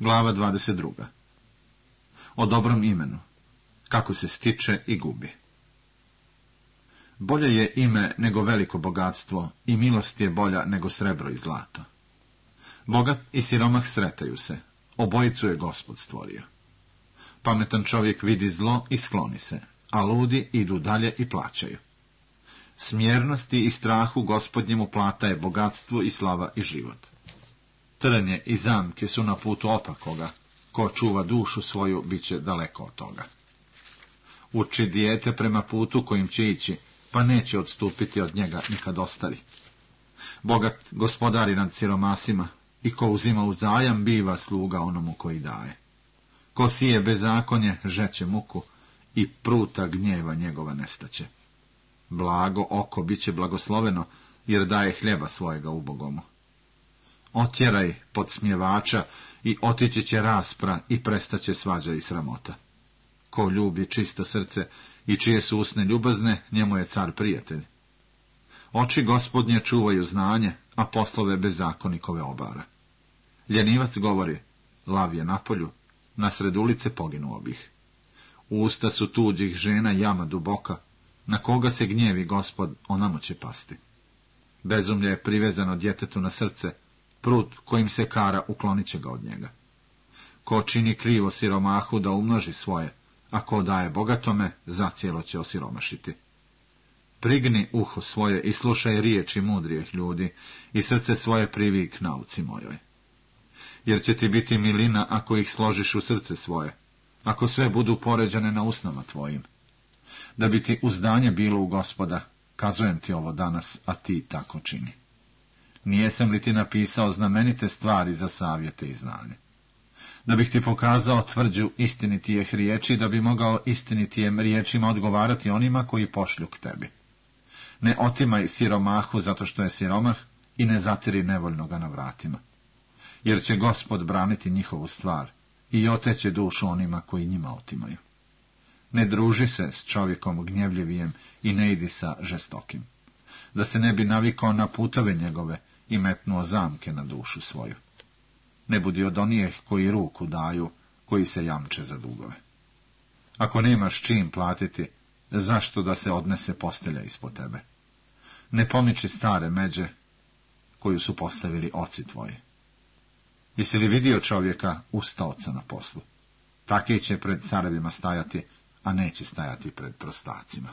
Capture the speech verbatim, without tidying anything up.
Glava dvadeset druga. O dobrom imenu. Kako se stiče i gubi. Bolje je ime nego veliko bogatstvo i milost je bolja nego srebro i zlato. Bogat i siromah sretaju se, obojicu je Gospod stvorio. Pametan čovjek vidi zlo i skloni se, a ludi idu dalje i plaćaju. Smjernosti i strahu Gospodnjemu plata je bogatstvo i slava i život. Trnje i zamke su na putu opakoga, ko čuva dušu svoju, bit će daleko od toga. Uči dijete prema putu kojim će ići, pa neće odstupiti od njega nikad ostari. Bogat gospodari nad siromasima, i ko uzima u zajam, biva sluga onomu koji daje. Ko sije bezakonje, žeće muku, i pruta gnjeva njegova nestaće. Blago oko bit će blagosloveno, jer daje hljeba svojega ubogomu. Otjeraj podsmjevača i otići će raspra i prestaće svađa i sramota. Ko ljubi čisto srce i čije su usne ljubazne, njemu je car prijatelj. Oči Gospodnje čuvaju znanje, a poslove bezakonikove obara. Ljenivac govori, lav je napolju, nasred ulice poginuo bih. Usta su tuđih žena jama duboka, na koga se gnjevi Gospod, onamo će pasti. Bezumlje je privezano djetetu na srce, prut kojim se kara uklonit će ga od njega. Ko čini krivo siromahu da umnoži svoje, a ko daje bogatome, zacijelo će osiromašiti. Prigni uho svoje i slušaj riječi mudrijih ljudi i srce svoje privik nauci mojoj. Jer će ti biti milina ako ih složiš u srce svoje, ako sve budu poređane na usnama tvojim. Da bi ti uzdanje bilo u Gospoda, kazujem ti ovo danas, a ti tako čini. Nijesam li ti napisao znamenite stvari za savjete i znanje? Da bih ti pokazao tvrđu istinitijeh riječi, da bi mogao istinitijem riječima odgovarati onima koji pošlju k tebi. Ne otimaj siromahu zato što je siromah i ne zatiri nevoljnoga na vratima. Jer će Gospod braniti njihovu stvar i oteće dušu onima koji njima otimaju. Ne druži se s čovjekom gnjevljivijem i ne idi sa žestokim, da se ne bi navikao na putove njegove i metnuo zamke na dušu svoju. Ne budi od onijeh koji ruku daju, koji se jamče za dugove. Ako nemaš čim platiti, zašto da se odnese postelja ispod tebe? Ne pomiči stare međe, koju su postavili oci tvoji. Jesi li vidio čovjeka ustaoca na poslu? Taki će pred carevima stajati, a neće stajati pred prostacima.